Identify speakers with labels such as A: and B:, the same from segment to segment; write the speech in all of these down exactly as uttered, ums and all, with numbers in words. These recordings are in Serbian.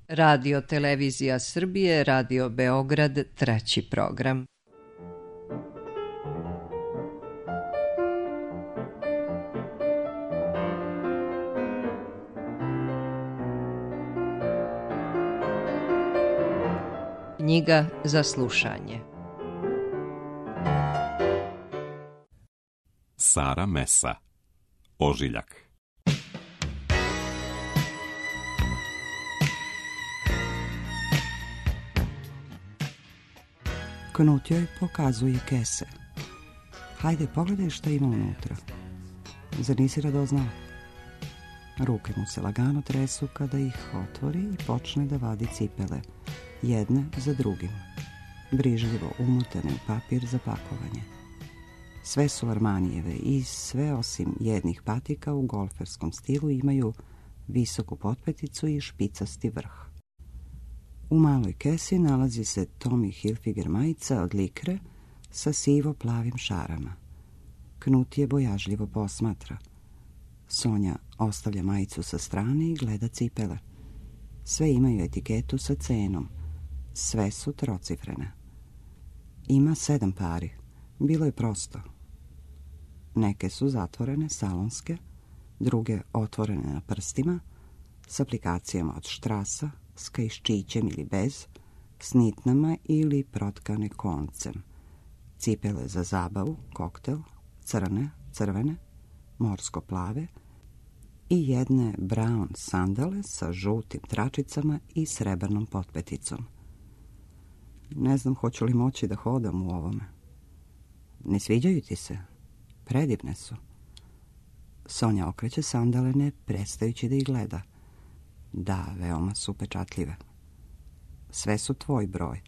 A: Radio Televizija Srbije, Radio Beograd, treći program. Knjiga za slušanje.
B: Sara Mesa, Ožiljak.
C: Knut joj pokazuje kese. Hajde, pogledaj šta ima unutra. Zar nisi radoznala? Ruke mu se lagano tresu kada ih otvori i počne da vadi cipele, jedne za drugim, brižljivo umotane u papir za pakovanje. Sve su Armanijeve i sve osim jednih patika u golferskom stilu imaju visoku potpeticu i špicasti vrh. U maloj kesi nalazi se Tommy Hilfiger majica od likre sa sivo-plavim šarama. Knut je bojažljivo posmatra. Sonja ostavlja majicu sa strane i gleda cipele. Sve imaju etiketu sa cenom. Sve su trocifrene. Ima sedam pari. Bilo je prosto. Neke su zatvorene, salonske, druge otvorene na prstima, s aplikacijama od štrasa, s kaiščićem ili bez, s nitnama ili protkane koncem. Cipele za zabavu, koktel, crne, crvene, morsko-plave i jedne brown sandale sa žutim tračicama i srebrnom potpeticom. Ne znam hoću li moći da hodam u ovome. Ne sviđaju ti se? Predivne su. Sonja okreće sandale ne prestajući da ih gleda. Da, veoma su upečatljive. Sve su tvoj broj.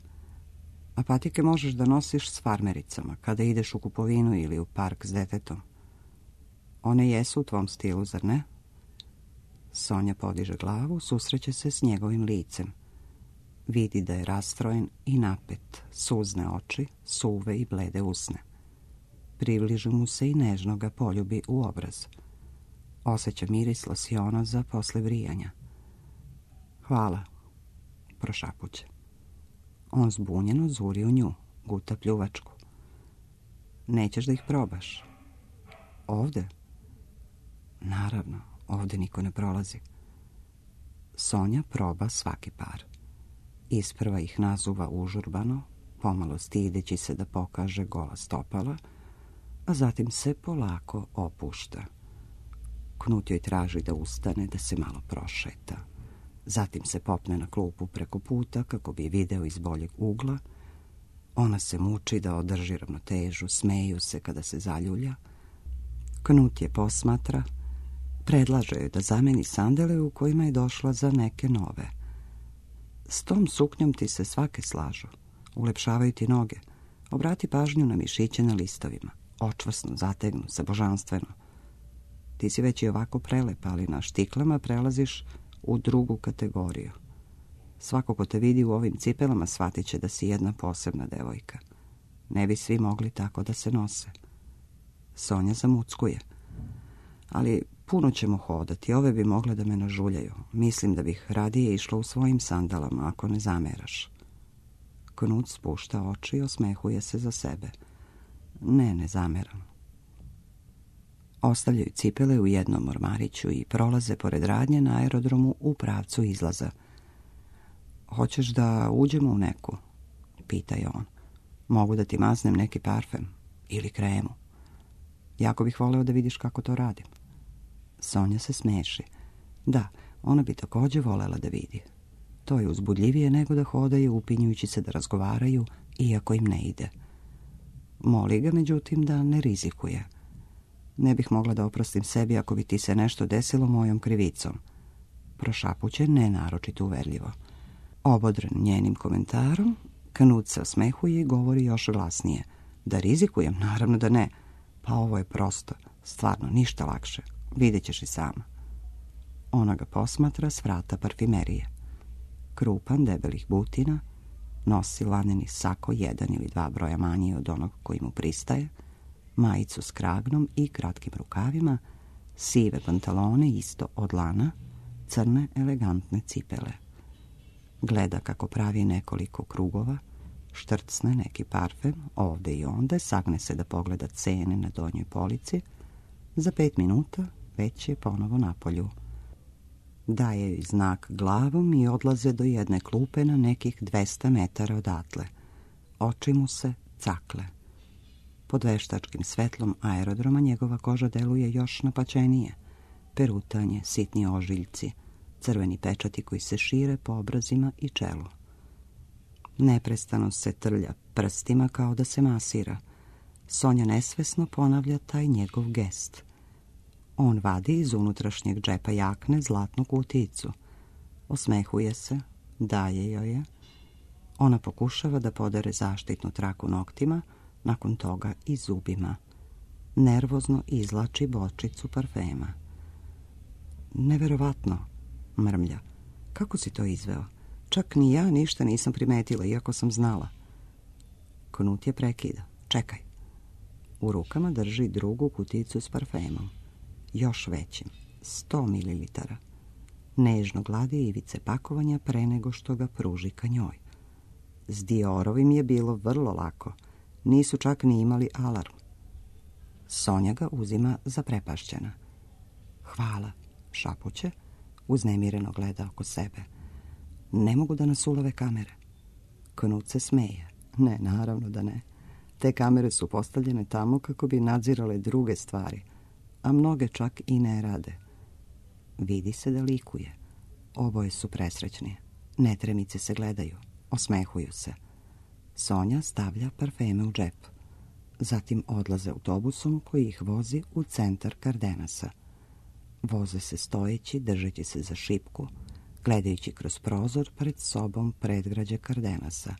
C: A patike možeš da nosiš s farmericama kada ideš u kupovinu ili u park s detetom. One jesu u tvom stilu, zar ne? Sonja podiže glavu, susreće se s njegovim licem. Vidi da je rastrojen i napet, suzne oči, suve i blede usne. Približi mu se i nežno ga poljubi u obraz. Osjeća miris losiona za posle brijanja. Hvala, prošapuće. On zbunjeno zuri u nju, guta pljuvačku. Nećeš da ih probaš? Ovde? Naravno, ovde niko ne prolazi. Sonja proba svaki par. Isprva ih nazuva užurbano, pomalo stideći se da pokaže gola stopala, a zatim se polako opušta. Knut joj traži da ustane, da se malo prošeta. Zatim se popne na klupu preko puta kako bi video iz boljeg ugla. Ona se muči da održi ravnotežu, smeju se kada se zaljulja. Knut je posmatra, predlaže joj da zameni sandale u kojima je došla za neke nove. S tom suknjom ti se svake slažu, ulepšavaju ti noge. Obrati pažnju na mišiće na listovima, očvrsno, zategnu se, božanstveno. Ti si već i ovako prelepa, ali na štiklama prelaziš u drugu kategoriju. Svako ko te vidi u ovim cipelama shvatit će da si jedna posebna devojka. Ne bi svi mogli tako da se nose. Sonja zamuckuje. Ali puno ćemo hodati, ove bi mogle da me nažuljaju. Mislim da bih radije išla u svojim sandalama, ako ne zameraš. Knut spušta oči i osmehuje se za sebe. Ne, ne zameram. Ostavljaju cipele u jednom ormariću i prolaze pored radnje na aerodromu u pravcu izlaza. Hoćeš da uđemo u neku? Pita je on. Mogu da ti maznem neki parfem ili kremu. Jako bih voleo da vidiš kako to radim. Sonja se smeši. Da, ona bi također volela da vidi. To je uzbudljivije nego da hodaju upinjujući se da razgovaraju, iako im ne ide. Moli ga, međutim, da ne rizikuje. Ne bih mogla da oprostim sebi ako bi ti se nešto desilo mojom krivicom. Prošapuće ne naročito uverljivo. Obodren njenim komentarom, Knut se osmehuje i govori još glasnije. Da rizikujem? Naravno da ne. Pa ovo je prosto, stvarno ništa lakše. Vidjet ćeš i sama. Ona ga posmatra s vrata parfimerije. Krupan, debelih butina, nosi laneni sako jedan ili dva broja manji od onog koji mu pristaje, majicu s kragnom i kratkim rukavima, sive pantalone isto od lana, crne elegantne cipele. Gleda kako pravi nekoliko krugova, štrcne neki parfem, ovde i onde, sagne se da pogleda cene na donjoj polici. Za pet minuta već je ponovo na polju. Daje joj znak glavom i odlaze do jedne klupe na nekih dvesta metara odatle. Oči mu se cakle. Pod veštačkim svetlom aerodroma njegova koža deluje još napaćenije. Perutanje, sitni ožiljci, crveni pečati koji se šire po obrazima i čelu. Neprestano se trlja prstima kao da se masira. Sonja nesvesno ponavlja taj njegov gest. On vadi iz unutrašnjeg džepa jakne zlatnu kutijicu. Osmehuje se, daje joj je. Ona pokušava da podere zaštitnu traku noktima, nakon toga i zubima. Nervozno izlači bočicu parfema. Neverovatno, mrmlja. Kako si to izveo? Čak ni ja ništa nisam primetila, iako sam znala. Knut je prekida. Čekaj. U rukama drži drugu kuticu s parfemom. Još većim. Sto mililitara. Nežno gladi ivice pakovanja pre nego što ga pruži ka njoj. S Diorovim je bilo vrlo lako. Nisu čak ni imali alarm. Sonja ga uzima zaprepašćena. Hvala, šapuće, uznemireno gleda oko sebe. Ne mogu da nas ulove kamere. Knut se smeje. Ne, naravno da ne. Te kamere su postavljene tamo kako bi nadzirale druge stvari, a mnoge čak i ne rade. Vidi se da likuje. Oboje su presrećni. Netremice se gledaju. Osmehuju se. Sonja stavlja parfeme u džep. Zatim odlaze autobusom koji ih vozi u centar Kardenasa. Voze se stojeći, držeći se za šipku, gledajući kroz prozor pred sobom predgrađe Kardenasa,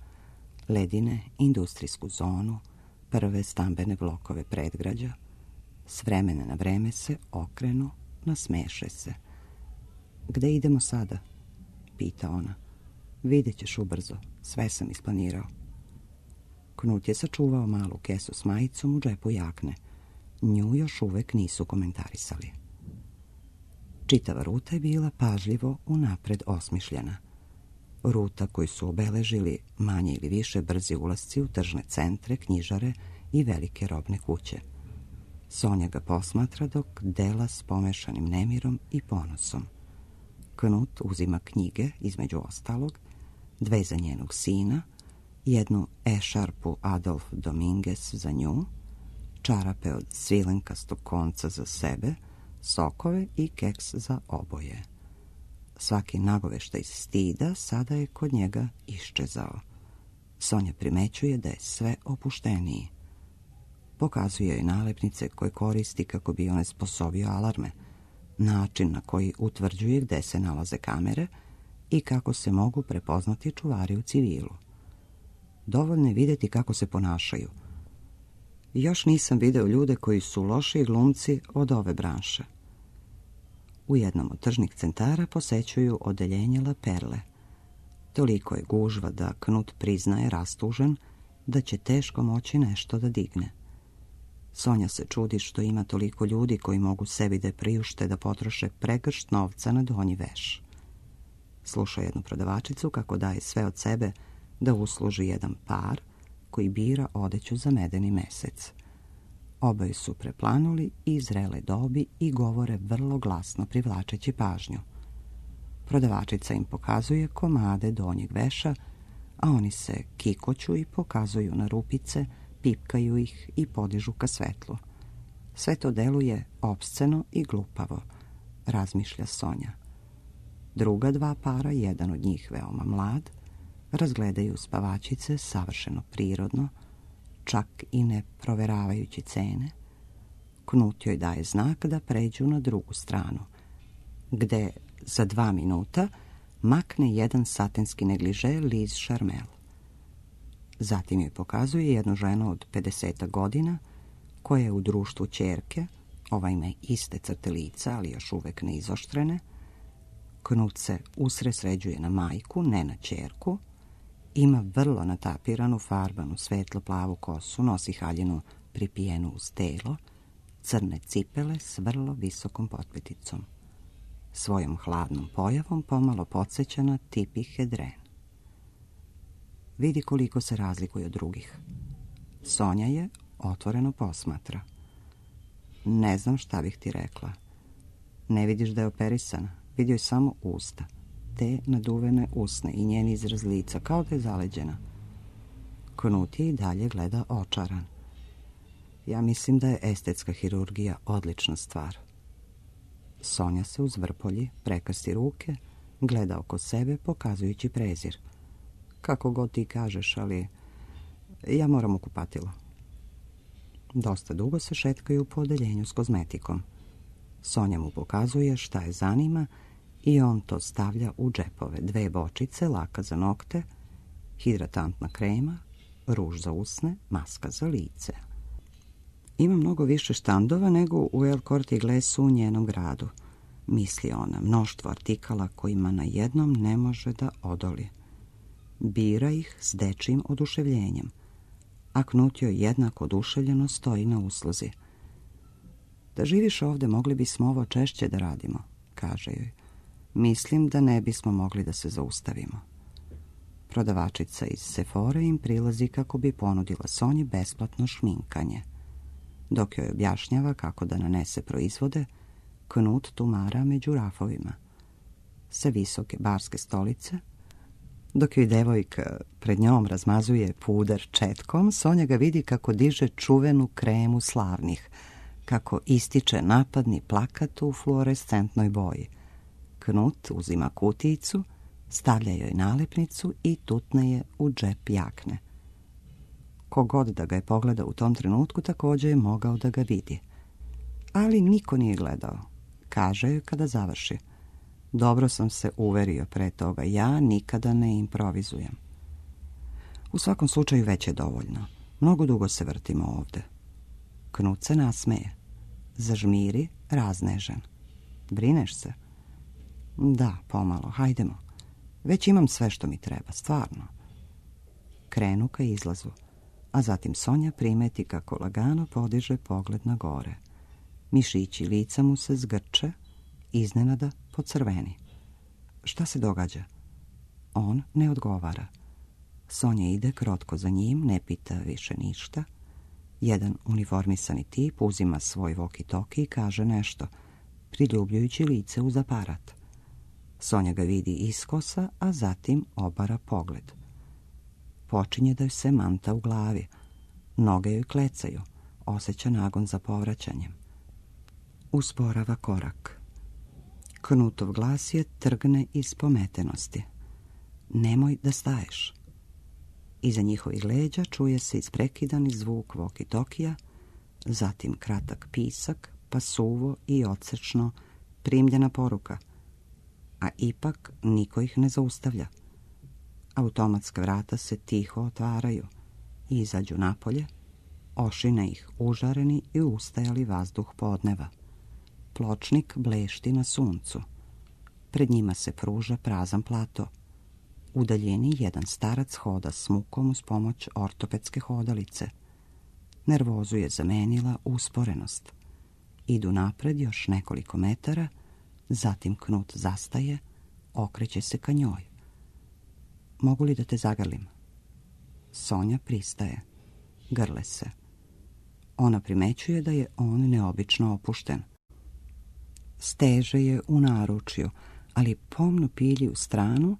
C: ledine, industrijsku zonu, prve stambene blokove predgrađa. S vremena na vreme se okrenu, nasmeše se. Gde idemo sada? Pita ona. Vidjet ćeš ubrzo, sve sam isplanirao. Knut je sačuvao malu kesu s majicom u džepu jakne. Nju još uvek nisu komentarisali. Čitava ruta je bila pažljivo unapred osmišljena. Ruta koju su obeležili manje ili više brzi ulasci u tržne centre, knjižare i velike robne kuće. Sonja ga posmatra dok dela s pomešanim nemirom i ponosom. Knut uzima knjige, između ostalog, dve za njenog sina, jednu ešarpu Adolf Dominguez za nju, čarape od svilenkastog konca za sebe, sokove i keks za oboje. Svaki nagoveštaj stida sada je kod njega iščezao. Sonja primećuje da je sve opušteniji. Pokazuje joj nalepnice koje koristi kako bi on sposobio alarme, način na koji utvrđuje gde se nalaze kamere i kako se mogu prepoznati čuvari u civilu. Dovoljno je vidjeti kako se ponašaju. Još nisam video ljude koji su lošiji glumci od ove branše. U jednom od tržnih centara posećuju odeljenje La Perle. Toliko je gužva da Knut priznaje rastužen da će teško moći nešto da digne. Sonja se čudi što ima toliko ljudi koji mogu sebi da priušte da potroše pregršt novca na donji veš. Sluša jednu prodavačicu kako daje sve od sebe da usluži jedan par koji bira odeću za medeni mesec. Oboje su preplanuli i zrele dobi i govore vrlo glasno privlačeći pažnju. Prodavačica im pokazuje komade donjeg veša, a oni se kikoću i pokazuju na rupice, pipkaju ih i podižu ka svetlu. Sve to deluje opsceno i glupavo, razmišlja Sonja. Druga dva para, jedan od njih veoma mlad, razgledaju spavačice savršeno prirodno, čak i ne proveravajući cene. Knut joj daje znak da pređu na drugu stranu, gde za dva minuta makne jedan satinski negliže Liz Charmel. Zatim joj pokazuje jednu ženu od pedeseta godina koja je u društvu ćerke, ova ima iste crte lica, ali još uvek ne izoštrene. Knut se usresređuje na majku, ne na ćerku. Ima vrlo natapiranu, farbanu, svetlo-plavu kosu, nosi haljinu pripijenu uz telo, crne cipele s vrlo visokom potpeticom. Svojom hladnom pojavom pomalo podsjeća na Tippi Hedren. vidi koliko se razlikuje od drugih. Sonja je otvoreno posmatra. Ne znam šta bih ti rekla. Ne vidiš da je operisana, vidio je samo usta. Te naduvene usne i njen izraz lica, kao da je zaleđena. Knut je i dalje gleda očaran. Ja mislim da je estetska hirurgija odlična stvar. Sonja se uzvrpolji, prekrsti ruke, gleda oko sebe pokazujući prezir. Kako god ti kažeš, ali ja moram u kupatilo. Dosta dugo se šetkaju po odeljenju s kozmetikom. Sonja mu pokazuje šta je zanima i on to stavlja u džepove. Dve bočice, laka za nokte, hidratantna krema, ruž za usne, maska za lice. Ima mnogo više štandova nego u El Corte Inglesu u njenom gradu, misli ona, mnoštvo artikala kojima na jednom ne može da odoli. Bira ih s dečijim oduševljenjem, a Knut joj jednako oduševljeno stoji na usluzi. Da živiš ovde, mogli bismo ovo češće da radimo, kaže joj. Mislim da ne bismo mogli da se zaustavimo. Prodavačica iz Sephore im prilazi kako bi ponudila Sonji besplatno šminkanje. Dok joj objašnjava kako da nanese proizvode, Knut tumara među rafovima. Sa visoke barske stolice, dok joj devojka pred njom razmazuje puder četkom, Sonja ga vidi kako diže čuvenu kremu slavnih, kako ističe napadni plakat u fluorescentnoj boji. Knut uzima kutijicu, stavlja joj nalepnicu i tutne je u džep jakne. Kogod da ga je pogleda u tom trenutku također je mogao da ga vidi. Ali niko nije gledao, kaže joj kada završi. Dobro sam se uverio pre toga, ja nikada ne improvizujem. U svakom slučaju već je dovoljno. Mnogo dugo se vrtimo ovde. Knut se nasmeje. Zažmiri, raznežen. Brineš se? Da, pomalo, hajdemo. Već imam sve što mi treba, stvarno. Krenu ka izlazu, a zatim Sonja primeti kako lagano podiže pogled na gore. Mišići lica mu se zgrče, iznenada pocrveni. Šta se događa? On ne odgovara. Sonja ide krotko za njim, ne pita više ništa. Jedan uniformisani tip uzima svoj walkie-talkie i kaže nešto, priljubljujući lice uz aparat. Sonja ga vidi iskosa, a zatim obara pogled. Počinje da joj se manta u glavi. Noge joj klecaju, osjeća nagon za povraćanjem. Usporava korak. Knutov glas je trgne iz pometenosti. Nemoj da staješ. Iza njihovih leđa čuje se isprekidani zvuk walkie-talkija, zatim kratak pisak, pa suvo i odsečno primljena poruka. A ipak niko ih ne zaustavlja. Automatska vrata se tiho otvaraju i izađu napolje, ošine ih užareni i ustajali vazduh podneva. Pločnik blešti na suncu. Pred njima se pruža prazan plato. U daljini jedan starac hoda s mukom uz pomoć ortopedske hodalice. Nervozu je zamenila usporenost. Idu napred još nekoliko metara, zatim Knut zastaje, okreće se ka njoj. Mogu li da te zagrlim? Sonja pristaje. Grle se. Ona primećuje da je on neobično opušten. Steže je u naručju, ali pomno pilji u stranu,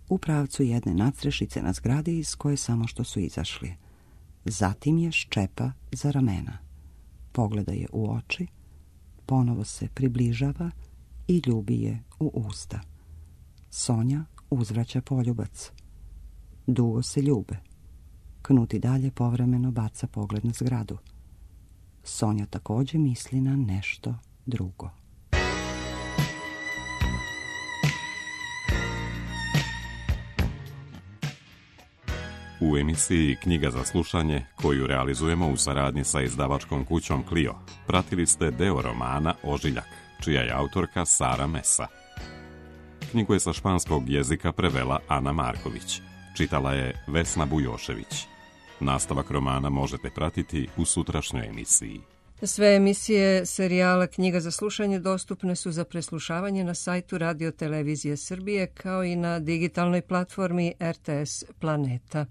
C: u pravcu jedne nadstrešice na zgradi iz koje samo što su izašli. Zatim je ščepa za ramena. Pogleda je u oči, ponovo se približava i ljubi je u usta. Sonja uzvraća poljubac. Dugo se ljube. Knut i dalje povremeno baca pogled na zgradu. Sonja također misli na nešto drugo.
B: U emisiji Knjiga za slušanje, koju realizujemo u saradnji sa izdavačkom kućom Clio, pratili ste deo romana Ožiljak, čija je autorka Sara Mesa. Knjigu je sa španskog jezika prevela Ana Marković, čitala je Vesna Bujošević. Nastavak romana možete pratiti u sutrašnjoj emisiji.
D: Sve emisije serijala Knjiga za slušanje dostupne su za preslušavanje na sajtu Radio Televizije Srbije kao i na digitalnoj platformi R T S Planeta.